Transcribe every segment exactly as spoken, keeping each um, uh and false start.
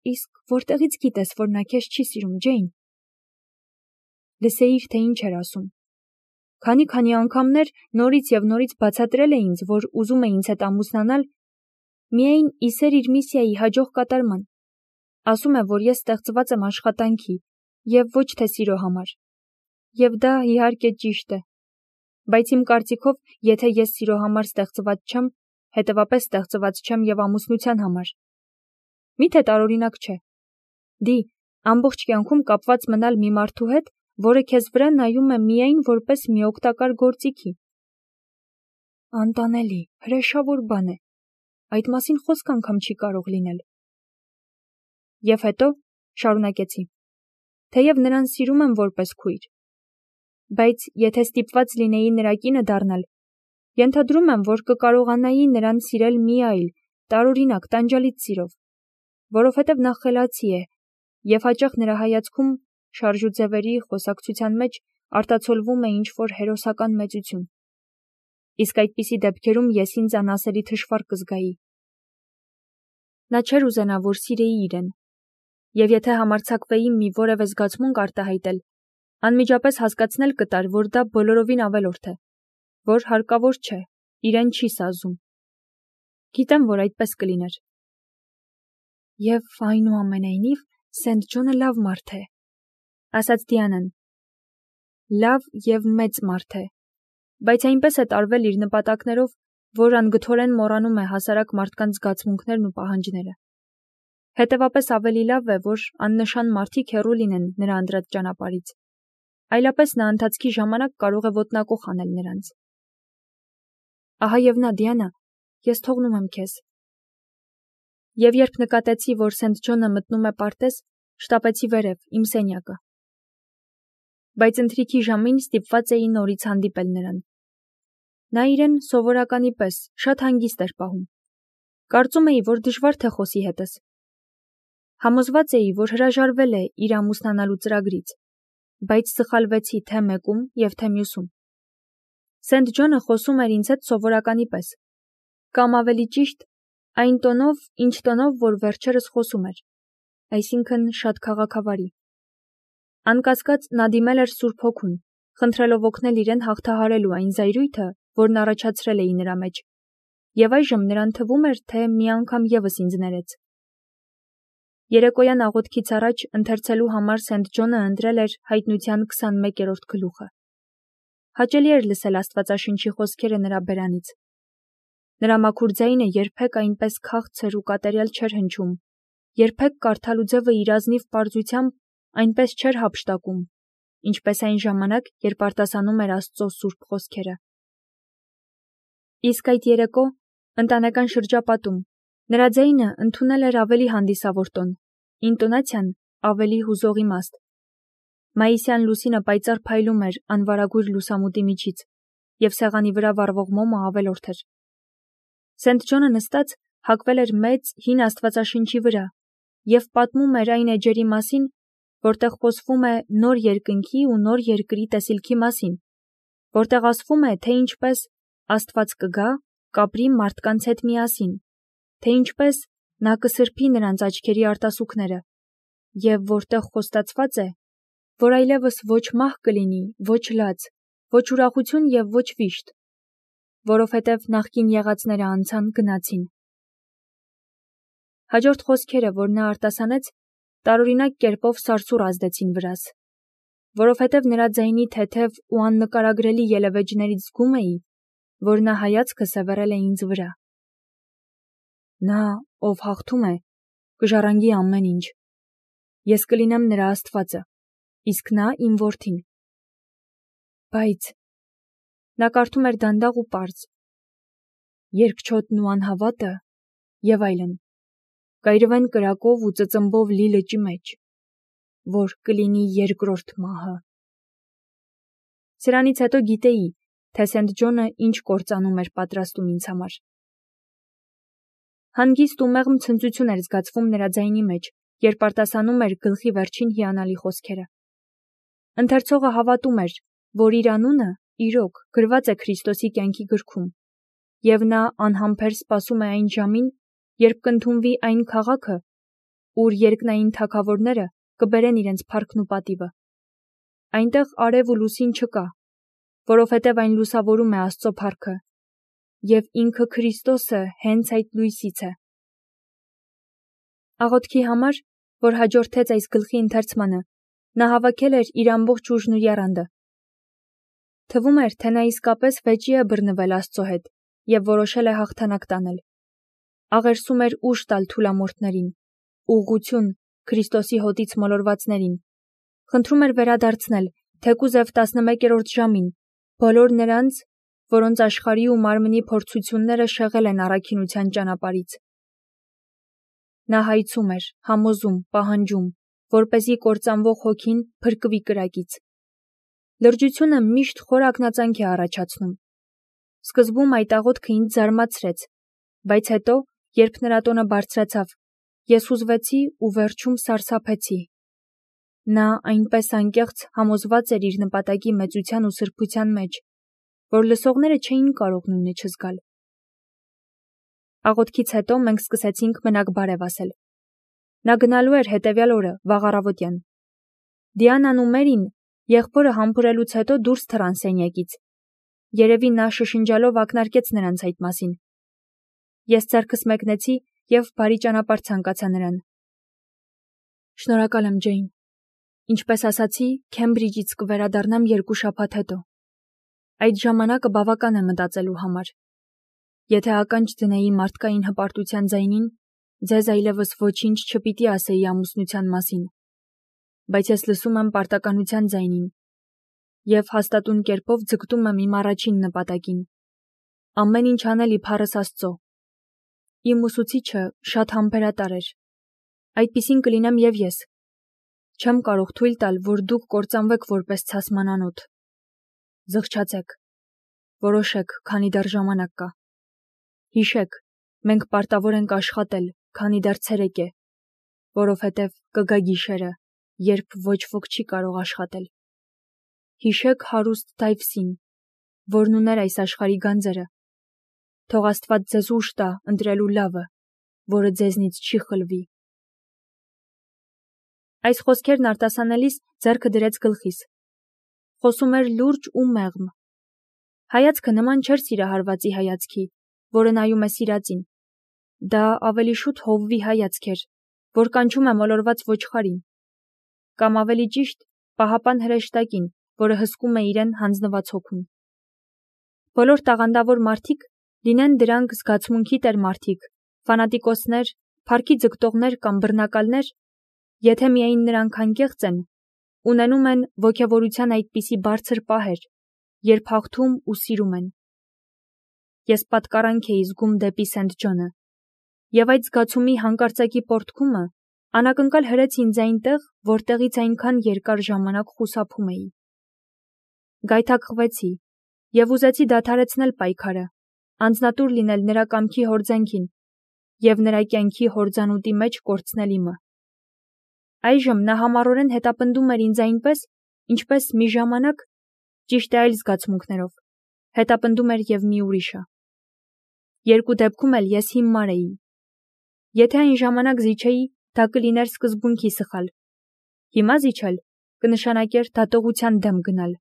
Իսկ որտեղից գիտես, որ նա քեզ չի սիրում, Ջեյն։ Լսեիր, թե ինչ էր ասում։ Քանի-քանի անգամներ նորից եւ նորից բացատրել է ինձ, որ ուզում է ինձ հետ ամուսնանալ, միայն իսեր իր միսիայի հաջող կատարման։ Ասում է, որ ես ստեղծված եմ աշխատանքի եւ ոչ թե սիրո համար։ Եվ դա իհարկե ճիշտ է։ Բայց իմ կարծիքով, եթե ես սիրո համար ստեղծված չեմ, հետևապես ստեղծված չեմ եւ ամուսնության համար։ Միթե տարօրինակ չէ։ Դի, ամբողջ կյանքում կապված մնալ մի մարդու հետ, որը քեզ վրա նայում է միայն որպես մի օգտակար գործիքի։ Անտանելի, հրեշավոր բան է։ Այդ մասին խոսք անգամ չի կարող լինել։ Եվ հետո, շարունակեցի, թեև նրան սիրում եմ որպես քույր, բայց եթե ստիպված լինեի նրա կինը դառնալ, ենթադրում եմ, որ կկարողանայի նրան սիրել մի այլ, տարօրինակ, տանջալից սիրով, որովհետև նա խելացի է, եւ հաճախ նրա հայացքում շարժուձևերի խոսակցության մեջ արտացոլվում է ինչ-որ հերոսական մեծություն։ Իսկ այդպիսի դեպքերում ես ինձ անասելի թշվառ կզգայի։ Նա չէր ուզենա, որ սիրեի իրեն, եւ եթե համարձակվեի մի որևէ զգացմունք արտահայտել, անմիջապես հասկացնել կտար, որ դա բոլորովին ավելորդ է, որ հարկավոր չէ, իրեն չի սազում։ Գիտեմ, որ այդպես կլիներ։ Եվ այնուամենայնիվ Սենթ Ջոնը լավ մարդ է, ասաց Դիանան։ Լավ եւ մեծ մարդ է, բայց այնպես է տարվել իր նպատակներով, որ անգթորեն մոռանում է հասարակ մարդկանց զգացմունքներն ու պահանջները։ Հետևապես ավելի լավ է, որ աննշան մարդիկ հեռու լինեն նրա ընտրած ճանապարհից։ Այլապես նա ընթացքի ժամանակ կարող է ոտնակոխ անել նրանց։ Ահա եւ նա, Դիանա, ես թողնում եմ քեզ։ Եվ երբ նկատեցի, որ Սենթ Ջոնը մտնում է պարտեզ, շտապեցի վերև, իմ սենյակը։ Բայց ընթրիքի ժամին ստիպված էի նորից հանդիպել նրան։ Նա իրեն սովորականի պես շատ հանգիստ էր պահում։ Կարծում էի, որ դժվար թե խոսի հետս։ Համոզված էի, որ հրաժարվել է իր ամուսնանալու ծրագրից, բայց սխալվեցի թե մեկում եւ թե մյուսում։ Սենթ Ջոնը խոսում էր ինձ հետ սովորականի պես, կամ ավելի ճիշտ, այն տոնով, ինչ տոնով, որ վերջերս խոսում էր, այսինքն շատ քաղաքավարի։ Անկասկած նա դիմել էր Սուրբ Հոգուն, խնդրելով օգնել իրեն հաղթահարելու այն զայրույթը, որն առաջացրել էի նրա մեջ, եւ այժմ նրան թվում էր, թե մի անգամ եւս ինձ ներեց։ Երեկոյան աղոթքից առաջ ընթերցելու համար Սենթ Ջոնը ընտրել էր հայտնության քսանմեկերորդ գլուխը։ Հաճելի էր լսել Աստվածաշնչի խոսքերը նրա բերանից։ Նրա մաքուր ձայնը երբեք այնպես քաղցր ու կատարյալ չէր հնչում, երբեք կարդալու ձևը իր ազնիվ պարզությամբ այնպես չէր հափշտակում, ինչպես այն ժամանակ, երբ արտասանում էր Աստծո սուրբ խոսքերը։ Իսկ այդ երեկո, ընտանեկան շրջապատում, նրա ձայնը ընդունել էր ավելի հանդիսավոր տոն, ինտոնացիան ավելի հուզող իմաստ։ Մայիսյան լուսինը պայծառ փայլում էր անվարագույր լուսամուտի միջից, եւ սեղանի վրա վառվող մոմը ավելորդ էր։ Սենթ Ջոնը նստած հակվել էր մեծ հին Աստվածաշնչի վրա եւ պատմում էր այն էջերի մասին, որտեղ խոսվում է նոր երկնքի ու նոր երկրի տեսիլքի մասին, որտեղ ասվում է, թե ինչպես Աստված կգա, կապրի մարդկանց հետ միասին, թե ինչպես նա կսրբի նրանց աչքերի արտասուքները, եւ որտեղ խոստացված է, որ այլևս ոչ մահ կլինի, ոչ լաց, ոչ ուրախություն եւ ոչ վիշտ, որովհետև նախկին եղածները անցան գնացին։ Հաջորդ խոսքերը, որ նա արտասանեց, տարօրինակ կերպով սարսուռ ազդեցին վրաս, որովհետև նրա ձայնի թեթև ու աննկարագրելի ելևէջներից զգում էի, որ նա հայացքը սևեռել է ինձ վրա։ Նա, ով հաղթում է, կժառանգի ամեն ինչ։ Ես կլինեմ նրա Աստվածը, իսկ նա իմ որդին։ Բայց նա կարդում էր դանդաղ ու պարզ. երկչոտն ու անհավատը եւ այլն, կայրվեն կրակով ու ծծմբով լի լճի մեջ, որ կլինի երկրորդ մահը։ Սրանից հետո գիտեի, թե Սենթ Ջոնը ինչ կործանում էր պատրաստում ինձ համար։ Հանգիստ ու մեղմ ցնծություն էր զգացվում նրա ձայնի մեջ, երբ արտասանում էր գլխի վերջին հիանալի խոսքերը։ Ընթերցողը հավատում էր, որ իր անունը, իրոք, գրված է Քրիստոսի կյանքի գրքում, եւ նա անհամբեր սպասում է այն ժամին, երբ կընդունվի այն քաղաքը, ուր երկնային թագավորները կբերեն իրենց փառքն ու պատիվը։ Այնտեղ արև ու լուսին չկա, որովհետև այն լուսավորում է Աստծո փառքը, և ինքը Քրիստոսը հենց այդ լույսից է։ Աղոթքի համար, որ հաջորդեց այս գլխի ընթերցմանը, նա հավաքել էր իր ամբողջ ուժն ու եռանդը։ Թվում էր, թե նա իսկապես վեճի է բռնվել Աստծո հետ և որոշել է հաղթանակ տանել։ Աղերսում էր ուժ տալ թուլամորթներին, ուղղություն Քրիստոսի հոտից մոլորվածներին։ Խնդրում էր վերադարձնել, թեկուզև տասնմեկերորդ ժամին, բոլոր նրանց, որոնց աշխարհի ու մարմնի փորձությունները շեղել են առաքինության ճանապարհից։ Նա հայցում էր, համոզում, պահանջում, որպեսզի կործանվող հոգին փրկվի կրակից։ Լրջությունը միշտ խոր ակնածանք է առաջացնում։ Սկզբում այդ աղոթքը ինձ զարմացրեց, բայց հետո, երբ նրա տոնը բարձրացավ, ես հուզվեցի ու վերջում սարսափեցի։ Նա այնպես անկեղծ համոզված էր իր նպատակի մեծության ու սրբության մեջ, որ լսողները չէին կարող նույնը չզգալ։ Աղոթքից հետո մենք սկսեցինք մենակ բարև ասել։ Նա գնալու էր հետևյալ օրը, վաղ առավոտյան։ Դիանան ու Մերին եղբորը համբուրելուց հետո դուրս թռան սենյակից։ Երևի նա շշնջալով ակնարկեց նրանց այդ մասին։ Ես ձեռքս մեկնեցի և բարի ճանապարհ ցանկացա նրան։ Շնորհակալ եմ, Ջեյն։ Ինչպես ասացի, Քեմբրիջից կվերադառնամ երկու շաբաթ հետո։ Այդ ժամանակը բավական է մտածելու համար։ Եթե ականջ դնեի մարդկային հպարտության ձայնին, ձեզ այլևս ոչինչ չպիտի ասեի ամուսնության մասին, բայց ես լսում եմ պարտականության ձայնին և հաստատուն կերպով ձգտում եմ իմ առաջին նպատակին։ Ամեն ինչ անել իբարս Աստծո։ Իմ ուսուցիչը շատ համբերատար էր։ Այդպիսին կլինեմ և ես։ Չեմ կարող թույլ տալ, որ դուք կործանվեք որպես ցասմանանոթ։ Զղջացեք։ Որոշեք, քանի դեռ ժամանակ կա։ Հիշեք, մենք պարտավոր ենք աշխատել, քանի դեռ ցերեկ է, որովհետև կգա գիշերը, երբ ոչ ոք չի կարող աշխատել։ Հիշեք հարուստ Դայվսին, որն ուներ այս աշխարհի գանձերը։ Թող Աստված ձեզ ուժ տա ընտրելու լավը, որը ձեզնից չի խլվի։ Այս խոսքերն արտասանելիս ձեռքը դրեց գլխիս։ Խոսում էր լուրջ ու մեղմ։ Հայացքը նման չէր սիրահարվածի հայացքի, որը նայում է սիրածին։ Դա ավելի շուտ հովվի հայացք էր, որ կանչում է մոլորված ոչխարին, կամ ավելի ճիշտ, պահապան հրեշտակին, որը հսկում է իրեն հանձնված հոգուն։ Բոլոր տաղանդավոր մարդիկ, լինեն դրանք զգացմունքի տեր մարդիկ, ֆանատիկոսներ, փառքի ձգտողներ կամ բռնակալներ, եթե միայն նրանք անկեղծ են, ունենում են ոգևորության այդպիսի բարձր պահեր, երբ հաղթում ու սիրում են։ Ես պատկառանք էի զգում դեպի Սենթ Ջոնը, և այդ զգացումի հանկարծակի պոռթկումը անակնկալ հրեց ինձ այնտեղ, որտեղից այնքան երկար ժամանակ խուսափում էի։ Գայթակղվեցի և ուզեցի դադարեցնել պայքարը, անձնատուր լինել նրա կամքի հորձանքին և նրա կյանքի հորձանուտի մեջ կորցնել իմը։ Այժմ նա համառորեն հետապնդում էր ինձ այնպես, ինչպես մի ժամանակ, ճիշտ է այլ զգացմունքներով, հետապնդում էր և մի ուրիշը։ Երկու դեպքում էլ ես հիմար էի։ Եթե այն ժամանակ զիջեի, դա կլիներ սկզբունքի սխալ։ Հիմա զիջել կնշանակեր դատողության դեմ գնալ։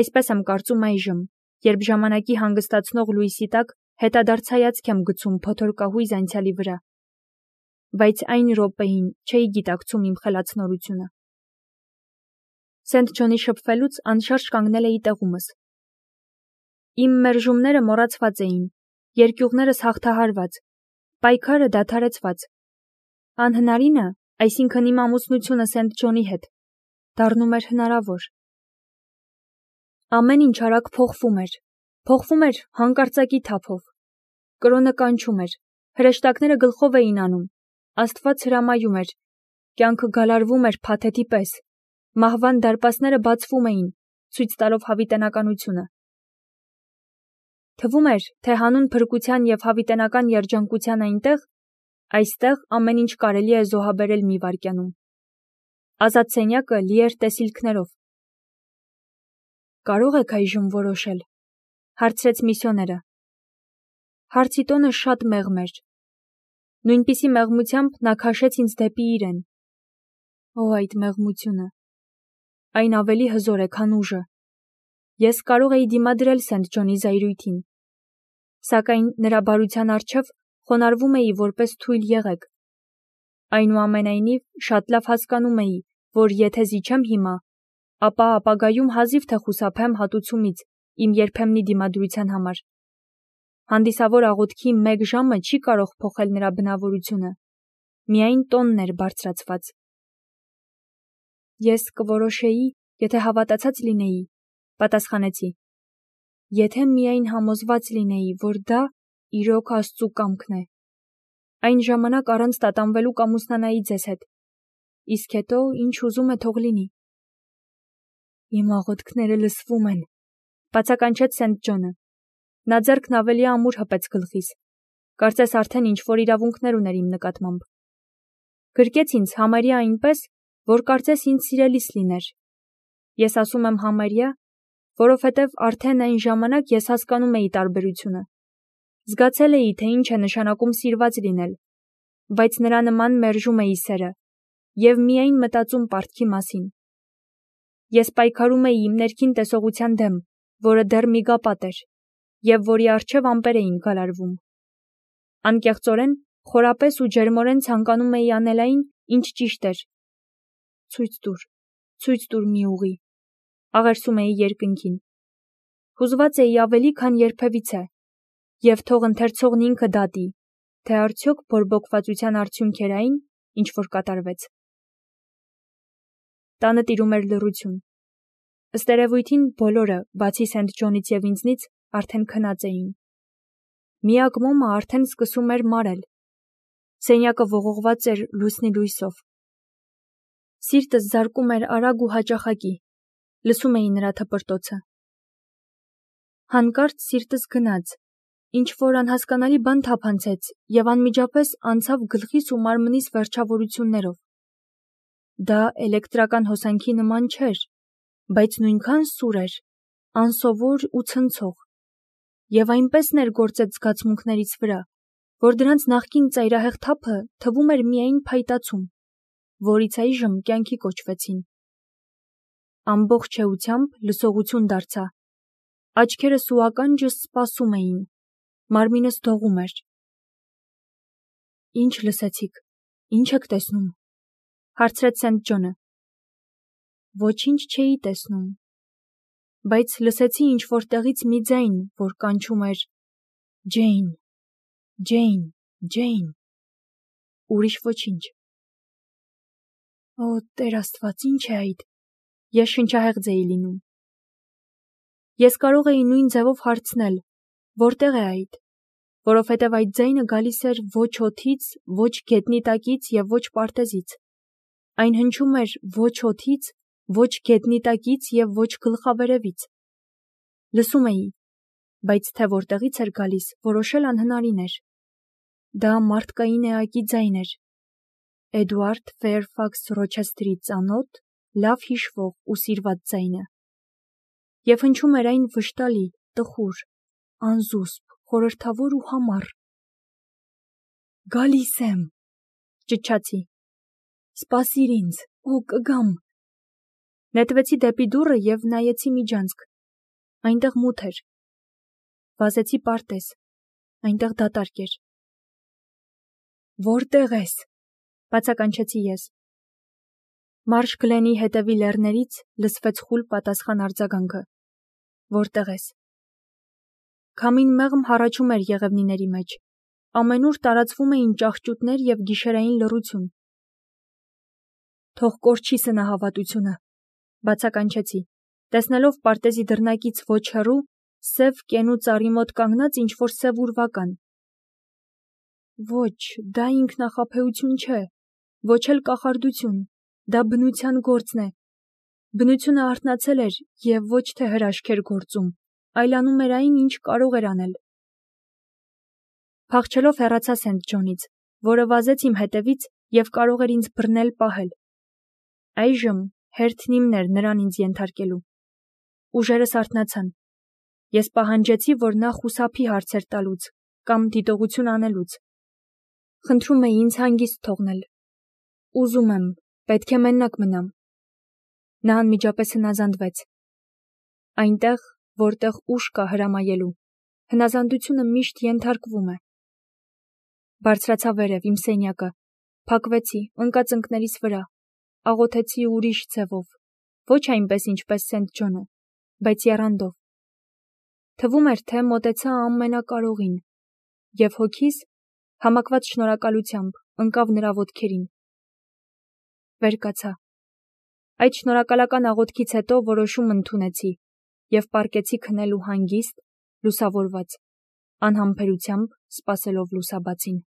Այսպես եմ կարծում այժմ, երբ ժամանակի հանգստացնող լույսի տակ հետադարձ հայացք եմ գցում փոթորկահույզ անցյալի վրա, բայց այն րոպեին չէի գիտակցում իմ խելացնորությունը։ Սենթ Ջոնի շփվելուց անշարժ կանգնել էի տեղումս։ Իմ մերժումները մոռացված էին, երկյուղներս հաղթահարված, պայքարը դադարեցված։ Անհնարինը, այսինքն իմ ամուսնությունը Սենթ Ջոնի հետ, դառնում էր հնարավոր։ Ամեն ինչ արագ փոխվում էր, փոխվում էր հանկարծակի թափով։ Կրոնը կանչում էր, հրեշտակները գլխով էին անում, Աստված հրամայում էր, կյանքը գալարվում էր փաթեթի պես, մահվան դարպասները բացվում էին, ցույց տալով հավիտենականությունը։ Թվում էր, թե հանուն փրկության և հավիտենական երջանկության այնտեղ, այստեղ ամեն ինչ կարելի է զոհաբերել մի վայրկյանում։ Ազատ սենյակը լի էր տեսիլքներով։ Կարո՞ղ եք այժմ որոշել, հարցրեց միսիոները։ Հարցի տոնը շատ մեղմ էր։ Նույնպիսի մեղմությամբ նա քաշեց ինձ դեպի իրեն։ Օ, այդ մեղմությունը։ Այն ավելի հզոր է, քան ուժը։ Ես կարող էի դիմադրել Սենթ Ջոնի զայրույթին, սակայն նրա բարության առջև խոնարհվում էի որպես թույլ եղեք։ Այնուամենայնիվ, շատ լավ հասկանում էի, որ եթե զիջեմ հիմա, ապա ապագայում հազիվ թե խուսափեմ հատուցումից իմ երբեմնի դիմադրության համար։ Հանդիսավոր աղոթքի մեկ ժամը չի կարող փոխել նրա բնավորությունը, միայն տոնն էր բարձրացված։ Ես կորոշեի, եթե հավատացած լինեի, պատասխանեցի, եթե միայն համոզված լինեի, որ դա իրոք Աստծու կամքն է, այն ժամանակ առանց տատանվելու կամուսնանայի ձեզ հետ, իսկ հետո ինչ ուզում է թող լինի։ Իմ աղոթքները լսվում են, բացականչեց Սենթ Ջոնը։ Նա ձեռքն ավելի ամուր հպեց գլխիս, կարծես արդեն ինչ-որ իրավունքներ ուներ իմ նկատմամբ։ Գրկեց ինձ համարյա այնպես, որ կարծես ինձ սիրելիս լիներ։ Ես ասում եմ համարյա, որովհետև արդեն այն ժամանակ ես հասկանում էի տարբերությունը։ Զգացել էի, թե ինչ է նշանակում սիրված լինել, բայց նրա նման մերժում էի սերը և միայն մտածում պարտքի մասին։ Ես պայքարում էի իմ ներքին տեսողության դեմ, որը դեռ միգապատ էր, և որի առջև ամպեր էին գալարվում։ Անկեղծորեն, խորապես ու ջերմորեն ցանկանում էի անել այն, ինչ ճիշտ էր։ Ցույց տուր, ցույց տուր մի ուղի, աղերսում էի երկնքին։ Հուզված էի ավելի, քան երբևիցե, և թող ընթերցողն ինքը դատի, թե արդյոք բորբոքվածության արդյունք էր այն, ինչ որ կատարվեց։ Տանը տիրում էր լռություն։ Ըստ երևույթին բոլորը, բացի Սենթ Ջոնից և ինձնից, արդեն քնած էին։ Միակ մոմը արդեն սկսում էր մարել։ Սենյակը ողողված էր լուսնի լույսով։ Սիրտս զարկում էր արագ ու հաճախակի, լսում էի նրա թպրտոցը։ Հանկարծ սիրտս գնաց, ինչ-որ անհասկանալի բան թափանցեց և անմիջապես անցավ գլխիս ու մարմնիս վերջավորություններով։ Դա էլեկտրական հոսանքի նման չէր, բայց նույնքան սուր էր, անսովոր ու ցնցող, և այնպես ներգործեց զգացմունքներիս վրա, որ դրանց նախկին ծայրահեղ թափը թվում էր միայն փայտացում, որից այժմ կյանքի կոչվեցին։ Ամբողջ էությամբ լսողություն դարձա, աչքերս ու ականջս սպասում էին, մարմինս դողում էր։ Ինչ լսեցիք, ինչ եք տեսնում, հարցրեց Սենթ Ջոնը։ Ոչինչ չէի տեսնում, բայց լսեցի ինչ-որ տեղից մի ձայն, որ կանչում էր Ջեյն, Ջեյն, Ջեյն, ուրիշ ոչինչ։ Օ, Տեր Աստված, ինչ է այդ, ես շնչահեղձ էի լինում։ Ես կարող էի նույն ձևով հարցնել, որտեղ է այդ, որովհետև այդ ձայնը գալիս էր ոչ օդից, ոչ գետնի տակից և ոչ պարտեզից։ Այն հնչում էր ոչ օդից, ոչ գետնի տակից և ոչ գլխավերևից։ Լսում էի, բայց թե որտեղից էր գալիս, որոշել անհնարին էր։ Դա մարդկային էակի ձայն էր։ Էդուարդ Ֆեյրֆաքս Ռոչեսթերի ծանոթ, լավ հիշվող ու սիրված ձայնը։ Եվ հնչում էր այն վշտալի, տխուր, անզուսպ, խորհրդավոր ու համառ։ Գալիս եմ, ճչացի։ Սպասիր ինձ, օ, կգամ։ Նետվեցի դեպի դուռը և նայեցի միջանցք։ Այնտեղ մութ էր։ Վազեցի պարտեզ, այնտեղ դատարկ էր։ Որտեղ ես, բացականչեցի ես։ Մարշ Գլենի հետևի լեռներից լսվեց խուլ պատասխան արձագանքը։ Որտեղ ես։ Քամին մեղմ հառաչում էր եղևնիների մեջ, ամենուր տարածվում էին ճահճուտներ և գիշերային լռություն։ Թող կորչի սնահավատությունը, բացականչեցի, տեսնելով պարտեզի դռնակից ոչ հեռու, սև կենու ծառի մոտ կանգնած ինչ-որ սև ուրվական։ Ոչ, դա ինքնախաբեություն չէ, ոչ էլ կախարդություն, դա բնության գործն է։ Բնությունը արթնացել էր և ոչ թե հրաշք էր գործում, այլ անում էր այն, ինչ կարող էր անել։ Փախչելով հեռացա Սենթ Ջոնից, որը վազեց իմ հետևից և կարող էր ինձ բռնել պահել։ Այժմ հերթն իմն էր նրան ինձ ենթարկելու։ Ուժերս արթնացան։ Ես պահանջեցի, որ նա խուսափի հարցեր տալուց կամ դիտողություն անելուց։ Խնդրում էի ինձ հանգիստ թողնել։ Ուզում եմ, պետք է մենակ մնամ։ Նա անմիջապես հնազանդվեց։ Այնտեղ, որտեղ ուժ կա հրամայելու, հնազանդությունը միշտ ենթարկվում է։ Բարձրացա վերև իմ սենյակը, փակվեցի, ընկա ծնկներիս վրա, աղոթեցի ուրիշ ձևով, ոչ այնպես ինչպես Սենթ Ջոնը, բայց եռանդով։ Թվում էր, թե մոտեցա ամենակարողին, և հոգիս, համակված շնորհակալությամբ, ընկավ նրա ոտքերին։ Վեր կացա։ Այդ շնորհակալական աղոթքից հետո որոշում ընդունեցի և պառկեցի քնելու հանգիստ, լուսավորված, անհամբերությամբ սպասելով լուսաբացին։